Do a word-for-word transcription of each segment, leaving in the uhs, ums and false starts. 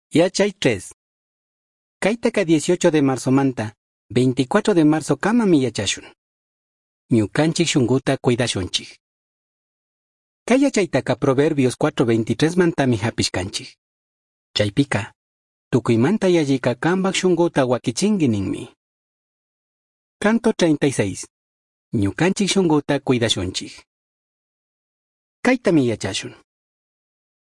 Yachay tres. Kaitaka dieciocho de marzo manta, veinticuatro de marzo kamami yachashun. Ñukanchik shunguta cuidashunchik. Kay yachaytaka Proverbios cuatro veintitrés mantami hapishkanchik. Chaypika, tukuymanta yallika kambak shunguta wakichinki ninmi. Canto treinta y seis. Ñukanchik shunguta cuidashunchik. Kaytami yachashun.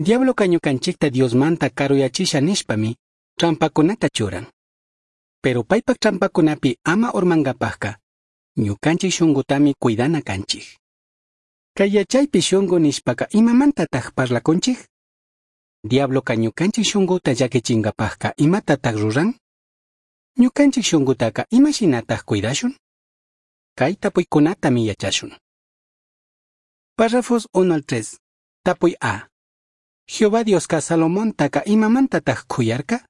Diabloka ñukanchikta Diosmanta karuyachisha nishpami trampakunata churan. Pero paypak trampakunapi ama urmankapajka, ñukanchik shungutami cuidana kanchik. Kay yachaypi shungu nishpaka imamantataq parlakunchik? Diabloka ñukanchik shunguta llakichinkapajka imatataq ruran? Ñukanchik shungutaka imashinataq cuidashun? Kay tapuykunatami yachashun. Párrafos uno al tres. Tapuy A. Jehová Dioska Salomontaka imamantataq khuyarka?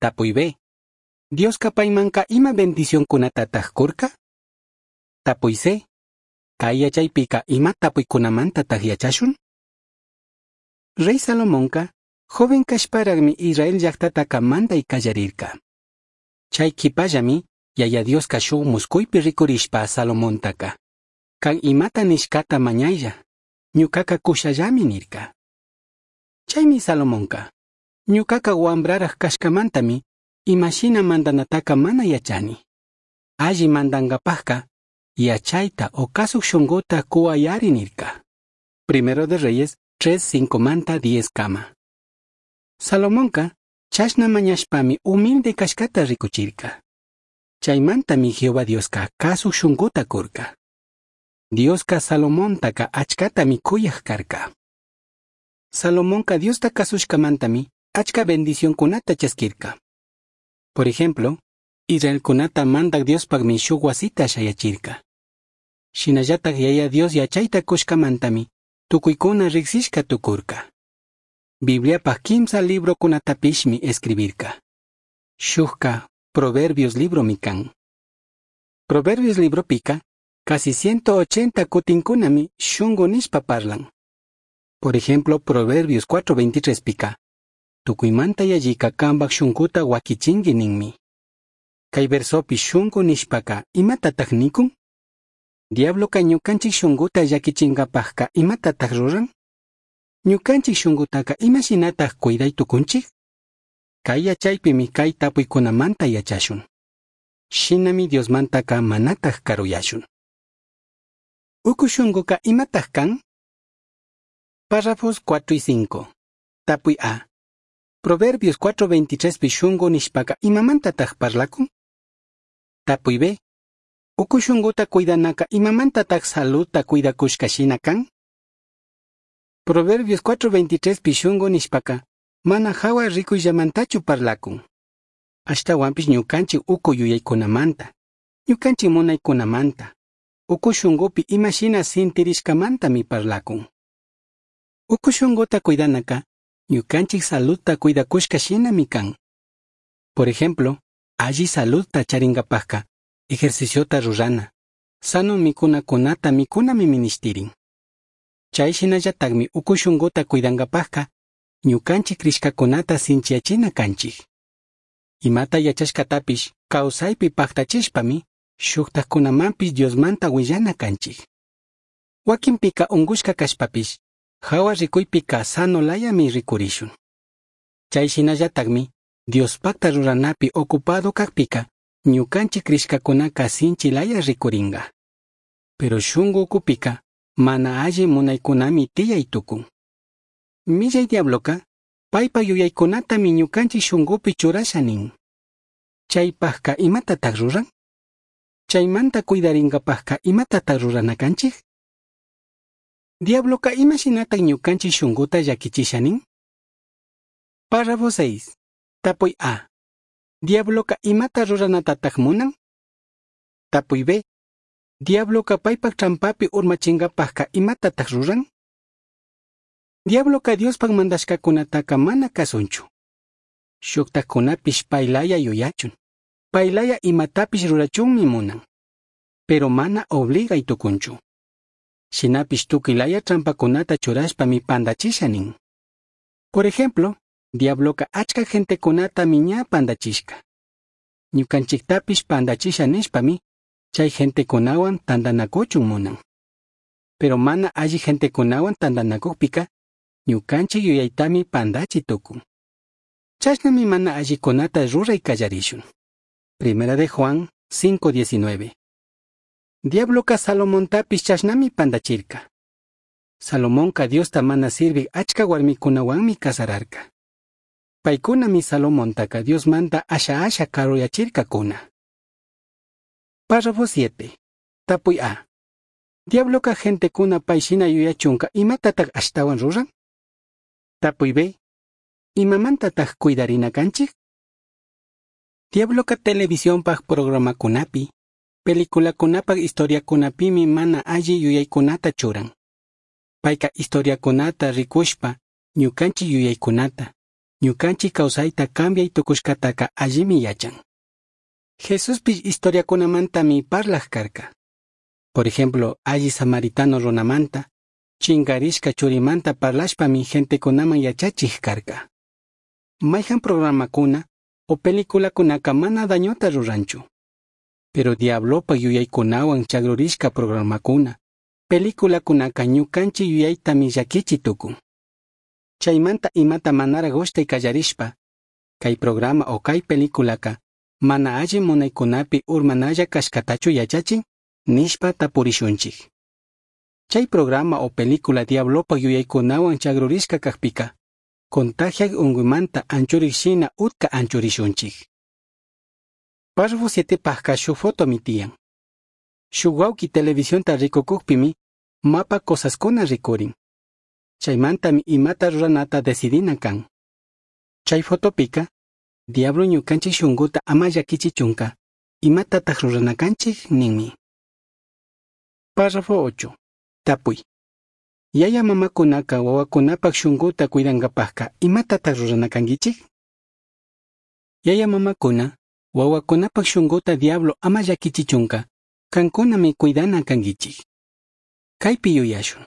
Tapuy B. Dioska paymanka ima bendicionkunatataq kurka? Tapuy C. Kay yachaypika ima tapuykunamantataq yachashun? Rey Salomonka joven kashparaqmi Israel llaqtataka manday qallarirka. Chay qhipallami Yaya Dioska shuk musquypi rikurishpa Salomontaka kan imata nishkata mañaylla, ñuqaqa kushallami nirka. Chaymi Salomonka, ñuqaqa wambraraq kashkamantami imashina mandanataka mana yachani. Alli mandankapaqqa yachayta o kasuk shunquta kuwayari nirka. Primero de Reyes tres cinco manta diez kama. Salomonka chashna mañashpami humilde kashkata rikuchirka. Chaymantami Jehová Dioska kasuk shunquta kurka. Dioska Salomontaka achkatami kuyaq karka. Salomonka Diosta kasushkamantami achka bendicionkunata chaskirka. Por ejemplo, Israelkunata mandak Diospaqmi shuk wasita shayachirka. Shinallataq Yaya Dios yachayta kushkamantami tukuykuna riqsishka tukurka. Bibliapaq kimsa librokunatapishmi escribirka. Shukka Proverbios libromi kan. Proverbios libropika casi ciento ochenta kutinkunami shungu nishpa parlan. Por ejemplo, Proverbios cuatro veintitrés pika. Tukuymanta yallika kambak shunkuta wakichinki ninmi. Kay versopi shunku nishpaka imatataq nikun? Diabloka ñukanchik shunkuta llakichinkapajka imatataq ruran? Ñukanchik shunkutaka imashinataq cuiday tukunchik? Kay yachaypimi kay tapuykunamanta yachashun. Shinami Diosmantaka manataq karuyashun. Uku shunkuka imataq kan? Párrafos cuatro y cinco. Tapuy A. Proverbios cuatro veintitrés pi shungu nishpaka imamantataq parlakun? Tapuy B. Uku shunguta cuidanaka imamantataq saludta cuidakushka shina kan? Proverbios cuatro veintitrés pi shungu nishpaka mana hawa rikuyllamantachu parlakun. Ashtawanpish ñukanchik uku yuyaykunamanta, ñukanchik munaykunamanta, uku shungupi imashina sintirishkamantami parlakun. Uku shunguta cuidanaka ñukanchik saludta cuidakushka shinami kan. Por ejemplo, alli saludta charinkapajka ejerciciota rurana, sano mikunakunata mikunami ministirin. Chay shinallataqmi uku shunguta cuidankapajka ñukanchik crishkakunata sinchiyachina kanchik. Imata yachashkatapish kawsaypi paqtachishpami shuktajkunamanpish Diosmanta willana kanchik. Wakinpika unqushka kashpapish hawa rikuypika sano layami rikurishun. Chay shinallataqmi Diospaqta ruranapi ocupado kaqpika ñukanchik crishkakunaka sinchi laya rikurinka. Pero shunku ukupika mana alli munaykunami tiyay tukun. Millay diabloka paypa yuyaykunatami ñukanchik shunkupi churasha nin. Chaypaqka imatataq ruran? Chaymanta cuidarinkapaqka imatataq rurana kanchik? Diabloka imashinataq ñukanchik shunkuta llakichisha nin? Párrafo seis. Tapuy A. Diabloka imata ruranatataq munan? Tapuy B. Diabloka paypak trampapi urmachinkapaqka imatataq ruran? Diabloka Diospaq mandashkakunataka mana kasunchu. Shuktajkunapish paylaya yuyachun. Paylaya imatapish rurachunmi munan. Pero mana obligay tukunchu. Shinapish tukuylaya trampakunata churashpami pandachisha nin. Por ejemplo, Diabloca achca gentecunatami ña pandachishca. Ñucanchictapish pandachisha nishpami, chai gentecunahuan tandanacuchun munan. Pero mana alli gentecunahuan tandanacujpica, ñucanchic yuyaitami pandachi tucun. Chashnami mana allicunata rurai callarishun. Primera de Juan cinco diecinueve. Diabloca Salomontapish chashnami pandachirca. Salomonca Diosta mana sirvij achca huarmicunahuanmi casararca. Paicunami Salomontaca Diosmanta asha asha caruyachircacuna. Párrafo siete. Tapuy A. Diabloca gentecuna pai shina yuyachunca imatataj ashtahuan ruran? Tapuy B. Imamantataj cuidarina canchij? Diabloca televisionpaj programacunapi, peliculacunapaj historiacunapimi mana alli yuyaicunata churan. Paica historiacunata ricushpa, ñucanchij yuyaicunata, ñucanchij causaita cambiai tucushcataca allimi yachan. Jesuspish historiacunamantami parlaj carca. Por ejemplo, alli samaritano runamanta, chingarishca churimanta parlashpami gentecunaman yachachij carca. Maijan programacuna o peliculacunaka mana dañota ruranchu. Pero diablopa yuyaykunawan chagrurishka programacuna, peliculacunaka ñukanchik yuyaytami llakichi tukun. Chaymanta imata manara gushtay kallarishpa, kay programa o kay peliculaka mana alli munaykunapi urmanalla kashkatachu yachachin, nishpa tapurishunchik. Chay programa o película diablopa yuyaykunawan chagrurishka kajpika, contagiak unguymanta anchurik shina utka anchurishunchik. Párrafo siete pajka shuk fotomi tiyan. Shuk wawki televisionta rikukukpimi mapa cosaskuna rikurin. Chaymantami imata ruranata decidina kan. Chay fotopika, diablo ñukanchik shunkuta ama llakichichunka, imatataj rurana kanchik ninmi. Párrafo ocho. Tapuy. Yaya mamakunaka wawakunapak shunkuta cuidankapajka imatataj rurana kankichik? Yaya mamakuna, wawakunapak shunkuta diablo ama llakichichunka, kankunami cuidana kankichik. Kaypi yuyashun.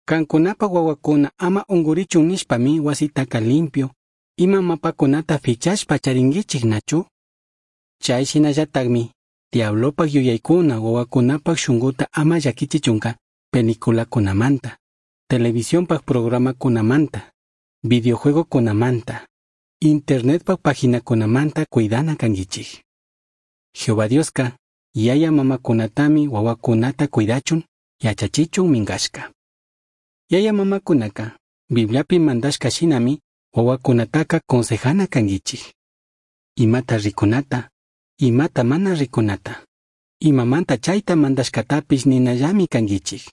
Kankunapak wawakuna ama ungurichun nishpami wasitaka limpio, ima mapakunata fichashpa charinkichik nachu? Chay shinallatakmi, diablopak yuyaykuna wawakunapak shunkuta ama llakichichunka peliculakunamanta, televisionpak programakunamanta, videojuegokunamanta, internetpak paginakunamanta cuidana kankichik. Jehová Dioska, yaya mamakunatami wawakunata cuidachun, yachachichun minkashka. Yaya mamakunaka, Bibliapi mandashka shinami, wawakunataka consejana kankichik. Imata rikunata, imata mana rikunata, imamanta chayta mandashkatapish ninallami kankichik.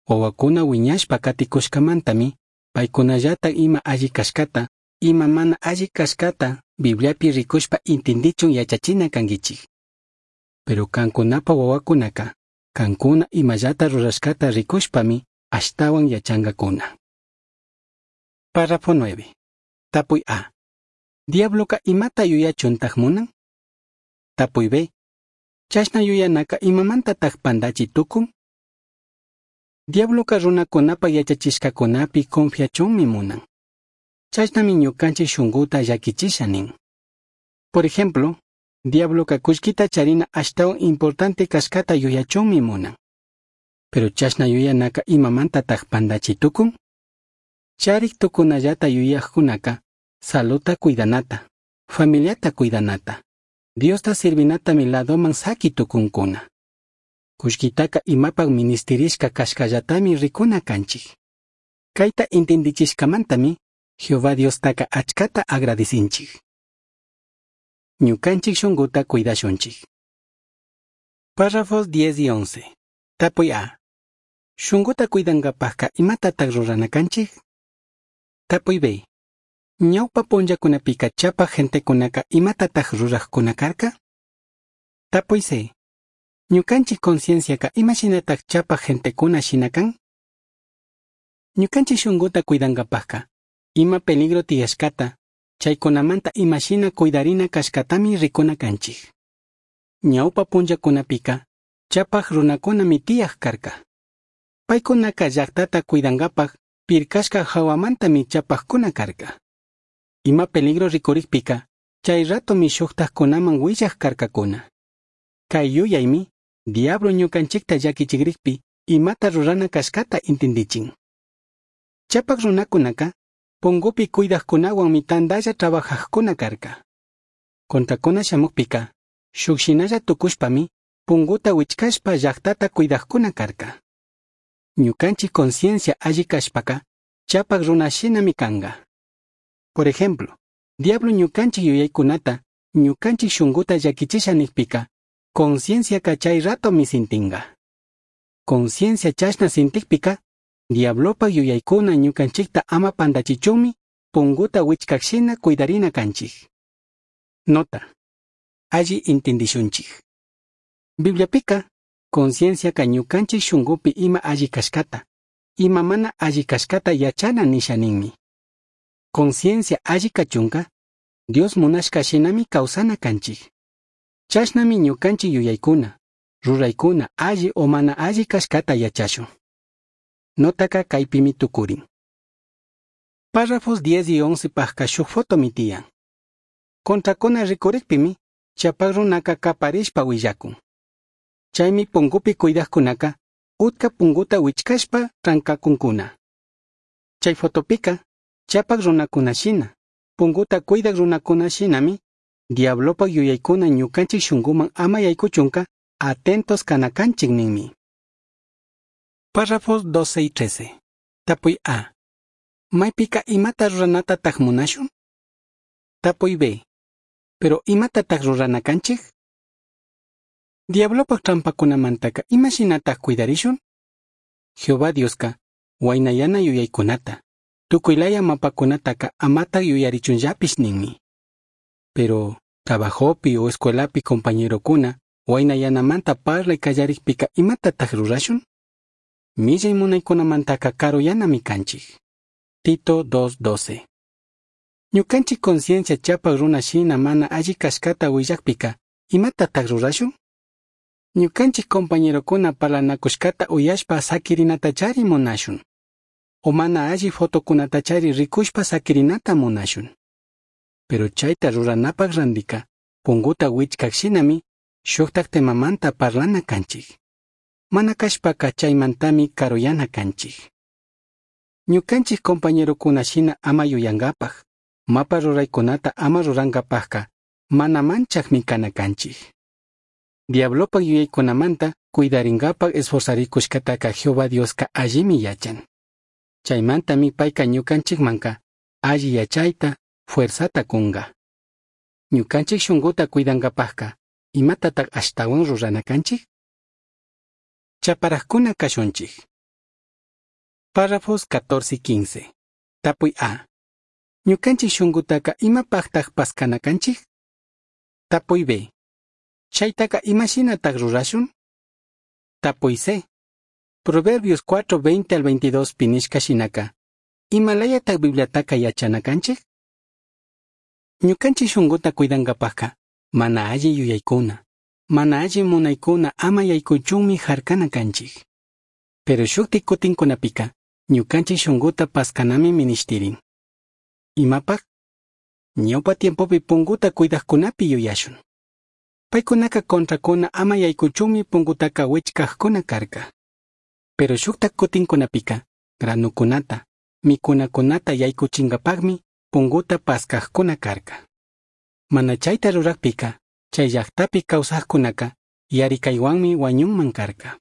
Wawakuna wiñashpa katikushkamantami, paykunallatak ima alli kashkata, ima mana alli kashkata, Bibliapi rikushpa intindichun yachachina kankichik. Pero kankunapa wawakunaka, kankuna imallata rurashkata rikushpami, ashtawan yachankakuna. Párrafo nueve. Tapuy A. Diabloka imata yuyachuntaj munan? Tapuy B. Chashna yuyanaka imamantataj pandachi tukun? Diabloka runakunapa yachachishkakunapi confiachunmi munan. Chashnami ñukanchik shunkuta llakichisha nin. Por ejemplo, diabloka kullkita charina ashtawan importante kashkata yuyachunmi munan. Pero chashna yuyanaka imamantataj pandachi tukun? Charik tukunallata yuyajkunaka, saluta cuidanata, familiata cuidanata, Diosta sirvinatami ladoman saki tukunkuna. Kullkitaka imapak ministirishka kashkallatami rikuna kanchik. Kayta intindichishkamantami, Jehová Diostaka achkata agradicinchik. Ñukanchik shunkuta cuidashunchik. Párrafos diez y once. Tapuy A. Shunkuta cuidankapajka imatataj rurana kanchik? Tapuy B. Ñawpa punllakunapika chapak gentekunaka imatataj rurajkuna karka? Tapuy C. Ñukanchik concienciaka imashinataj chapak gentekuna shina kan? Ñukanchik shunkuta cuidankapajka, ima peligro tiyashkata, chaykunamanta imashina cuidarina kashkatami rikuna kanchik. Ñawpa punllakunapika, chapak runakunami tiyaj karka. Paykunaka llaqtata cuidankapaj pirkashka hawamantami chapajkuna karka. Ima peligro ricurijpica chay ratomi shujtajcunaman huillaj carcacuna. Cai yuyaimi diablo ñucanchicta llaquichigrijpi imata rurana cashcata intindichin. Chapak runakunaka pungupi cuidajkunawanmi tandalla trabajajkuna karka. Contrakuna shamukpika shuk shinalla tukushpami punguta wichkashpa llaqtata cuidajkuna karka. Ñukanchik conciencia alli kashpaka chapak runa shinami kanga. Por ejemplo, diablo ñukanchik yuyaykunata ñukanchik shunguta llakichisha nikpika concienciaka chay ratomi sintinga. Conciencia chashna sintikpika diablopak yuyaykuna ñukanchikta ama pandachichunmi punguta wichkak shina cuidarina kanchik. Nota. Alli intindishunchik. Bibliapika concienciaka ñukanchik shungupi ima alli kashkata, ima mana alli kashkata yachana nisha ninmi. Conciencia alli kachunka, Dios munashka shinami kawsana kanchik. Chashnami ñukanchik yuyaykuna, ruraykuna alli o mana alli kashkata yachashun. Notaka kaypimi tukurin. Párrafos diez y once pajka shuk fotomi tiyan. Contrakuna rikurikpimi, chapak runaka kaparishpa willakun. Chaymi pungupi cuidajkunaka, utka punguta wichkashpa trankakunkuna. Chay fotopika, chapak runakuna shina, punguta cuidak runakuna shinami, diablopak yuyaykuna ñukanchik shunguman ama yaykuchunka atentos kanakanchik ninmi. Párrafos doce y trece. Tapuy A. Maypika imata ruranatataq munashun? Tapuy B. Pero imatataq rurana kanchik? Diablopak trampakunamantaka imashinataq cuidarishun? Jehová Dioska waynayana yuyaykunata, tukuylaya mapakunataka amataq yuyarichunllapish ninmi. Pero trabajopi o escuelapi compañerokuna waynayanamanta parlay kallarikpika imatataq rurashun? Millay munaykunamantaka karuyanami kanchik. Tito dos doce. Ñukanchik conciencia chapak runa shina mana alli kashkata willakpika imatataq rurashun? Ñukanchik compañerokuna parlanakushkata uyashpa sakirinatachari munashun. O mana alli fotokunatachari rikushpa sakirinata munashun. Pero chayta ruranapak randika punguta wichkak shinami shuktak temamanta parlana kanchik. Mana kashpaka chaymantami karuyana kanchik. Ñukanchik compañerokuna shina ama yuyankapak, mapa ruraykunata ama rurankapakka mana manchakmi kana kanchik. Diablopak yuyaykunamanta cuidarinkapak esforzarikushkataka Jehová Dioska allimi yachan. Chaymantami payka ñukanchikmanka alli yachayta, fuerzata kunga. Ñukanchik shunguta cuidankapakka imatataq ashtawan rurana kanchik? Chaparajkuna kashunchik. Párrafos catorce y quince. Tapuy A. Ñukanchik shungutaka imapaqtaq paskana kanchik? Tapuy B. Chaytaka imashinataq rurashun? Tapuy C. Proverbios cuatro veinte al veintidós pinishka shinaka. Imalayataq Bibliataka yachana kanchik? Ñukanchik shunguta cuidankapaqka mana alli yuyaykuna, mana alli munaykuna ama yaykuchunmi harkana kanchik. Pero shukti kutinkunapika ñukanchik shunguta paskanami minishtirin. Imapaq? Ñawpa tiempopi punguta cuidajkunapi yuyashun. Paykunaka contrakuna ama yaykuchunmi pungutaka wichkajkuna karka. Pero shukta kutinkunapika granukunata, mikunakunata yaykuchinkapaqmi punguta paskajkuna karka. Mana chayta rurakpika, chay llaqtapi kawsaqkunaka yarikaywanmi wañunman karka.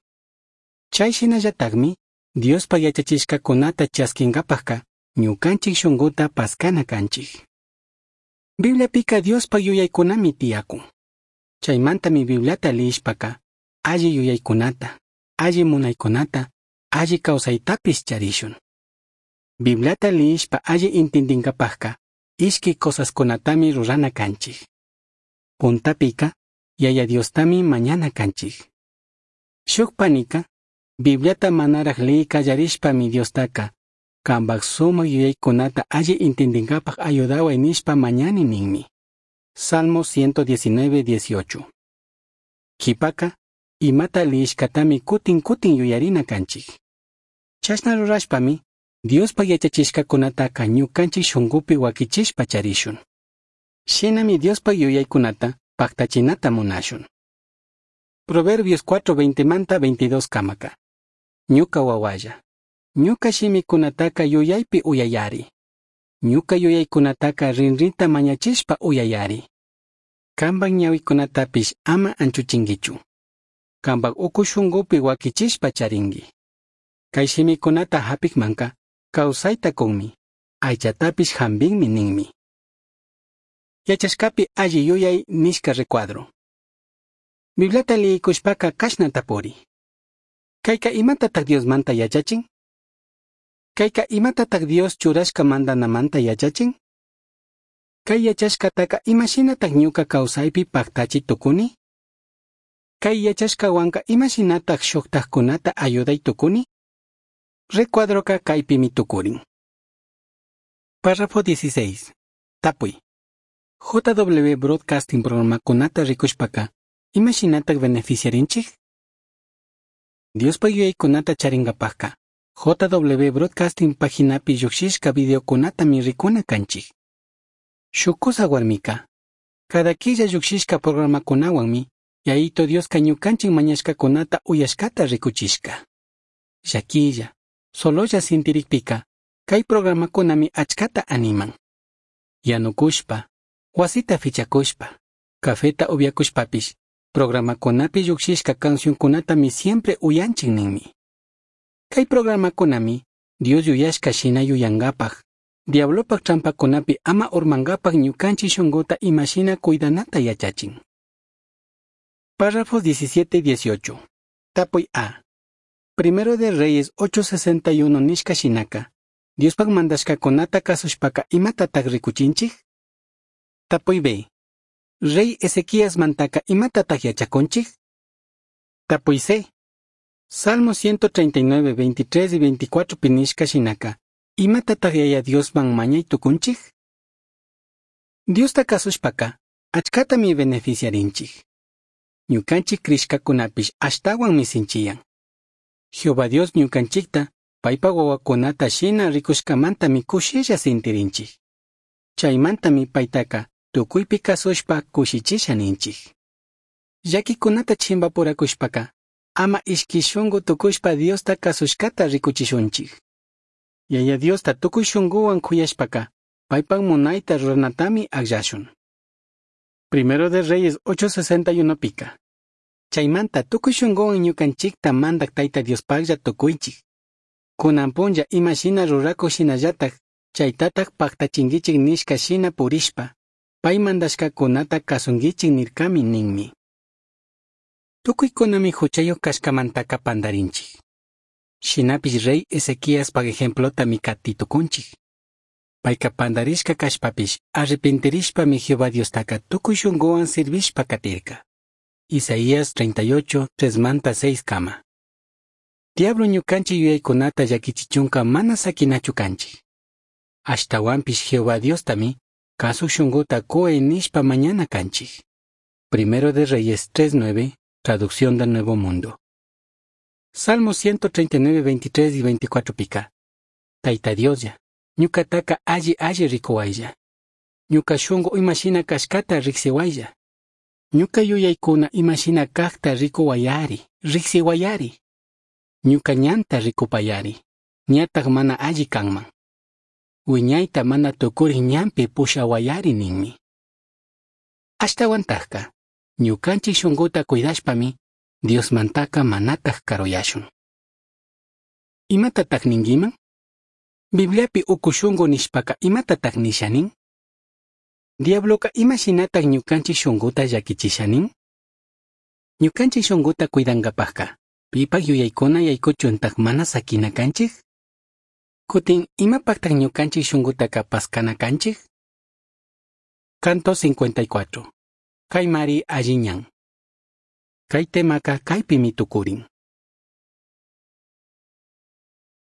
Chay shinallataqmi Diospa yachachishkakunata chaskinkapaqka ñukanchik shunguta paskana kanchik. Bibliapika Diospa yuyaykunami tiyakun. Chaymantami Bibliata liyishpaka alli yuyaykunata, alli munaykunata, alli kawsaytapis charishun. Bibliata liyishpa alli intindinkapaqka ishki cosaskunatami rurana kanchik. Puntapika Yaya Diostami mañana kanchik. Shuk panika Bibliata manaraq liyi kallarishpami Diostaka kambak sumak yuyaykunata alli intindinkapaq ayudaway nishpa mañani ninmi. Salmo ciento diecinueve, dieciocho. Kipaka imata liyishkatami kutin kutin yuyarina kanchik. Chashna rurashpami Diospaj yachachishcacunataca ñucanchij shungupi huaquichishpa charishun. Shinami Diospaj yuyaicunata pajtachinata munashun. Proverbios cuatro veinte manta veintidós camaca. Ñuca huahualla, ñuca shimicunataca yuyaipi uyayari. Ñuca yuyaicunataca rinrinta mañachishpa uyayari. Cambaj ñahuicunatapish ama anchuchinguichu. Cambaj ucu shungupi huaquichishpa charingui. Cai shimicunata japijmanca causaita cunmi, aichatapish jambinmi ninmi. Yachashcapi alli yuyai nishca recuadro. Bibliata liyicushpaca cashna tapuri. Caica imatataj Diosmanta yachachin? Caica imatataj Dios churashca mandanamanta yachachin? Cai yachashcataca imashinataj ñuca causaipi pajtachi tucuni? Cai yachashcahuanca imashinataj shujtajcunata ayudai tucuni? Recuadroca caipimi tucurin. Párrafo dieciséis. Tapui. J W Broadcasting programacunata ricushpaca, imashinataj beneficiarinchij? Diospaj yuyaicunata charingapajca, J W Broadcasting paginapi llujshishca videocunatami ricuna canchij. Shuj cusa huarmica, cada quilla llujshishca programacunahuanmi, Yayitu Diosca ñucanchij mañashcacunata uyashcata ricuchishca. Llaquilla, sololla sintiricpica, cai programacunami achcata animan. Yanucushpa, huasita fichacushpa, cafeta ubiacushpapish, programacunapi llujshishca cancioncunatami siempre uyanchij ninmi. Cai programacunami, Dios yuyashca shina yuyangapaj, diablopaj trampacunapi ama urmangapaj ñucanchij shunguta imashina cuidanata yachachin. Párrafos diecisiete y dieciocho. Tapui A. Primero de Reyes ocho sesenta y uno nishca shinaca, Diospaj mandashcacunata cazushpaca imatataj ricuchinchij? Tapui B. Rey Ezequías mantaca imatataj yachacunchij? Tapui C. Salmo ciento treinta y nueve, veintitrés y veinticuatro pi nishca shinaca, imatataj Yaya Diosman mañai tucunchij? Diosta cazushpaca, achcatami beneficiarinchij. Ñucanchij crishcacunapish ashtahuanmi sinchiyan. Jehová Dios ñucanchijta, paipaj huahuacunata shina ricushcamantami cushilla sintirinchij. Chaimantami paitaca tucuipi cazushpa cushichisha ninchij. Llaquicunata chimbapuracushpaca, ama ishqui shungu tucushpa Diosta cazushcata ricuchishunchij. Yaya Diosta tucui shunguhuan c'uyashpaca, paipaj munaita ruranatami agllashun. Primero de Reyes ocho sesenta y uno pica. Chaimanta tucui shunguhuan ñucanchijta mandaj Taita Diospajlla tucuichij. Cunan punlla ima shina ruracuj shinallataj, chaitataj pajtachinguichij nishca shina purishpa, pai mandashcacunata cazunguichij nircami ninmi. Tucuicunami juchayuj cashcamantaca pandarinchij. Shinapish rey Ezequiaspaj ejemplotami cati tucunchij. Paica pandarishca cashpapish arrepintirishpami Jehová Diostaca tucui shunguhuan sirvishpa catirca. Isaías treinta y ocho, tres manta seis cama. Diablo ñucanchij yuyaicunata llaquichichunca mana saquinachu canchij. Ashtahuanpish Jehová Diostami cazuj shunguta cuhuai nishpa mañana canchij. Primero de Reyes tres nueve, Traducción del Nuevo Mundo. Salmo ciento treinta y nueve, veintitrés y veinticuatro pica. Taita Dioslla, ñucataca alli alli ricuhuaylla. Ñuca shungu imashina cashcata rijsihuaylla. Ñuca yuyaicuna imashina cajta ricuhuayari, rijsihuayari. Ñuca ñanta ricupayari, ñataj mana alli canman. Huiñaita mana tucurij ñanpi pushahuayari ninmi. Ashtahuantajca, ñucanchij shunguta cuidashpami, Diosmantaca manataj caruyashun. Imatataj ninguiman? Bibliapi ucu shungu nishpaca imatataj nisha nin? Diabloca imashinataj ñucanchij shunguta llaquichisha nin? Ñucanchij shunguta cuidangapajca, pipaj yuyaicuna yaicuchuntaj mana saquina canchij? Cutin, imapajtaj ñucanchij shungutaca pascana canchij? Canto cincuenta y cuatro. Caimari alli ñan. Cai temaca caipimi tucurin.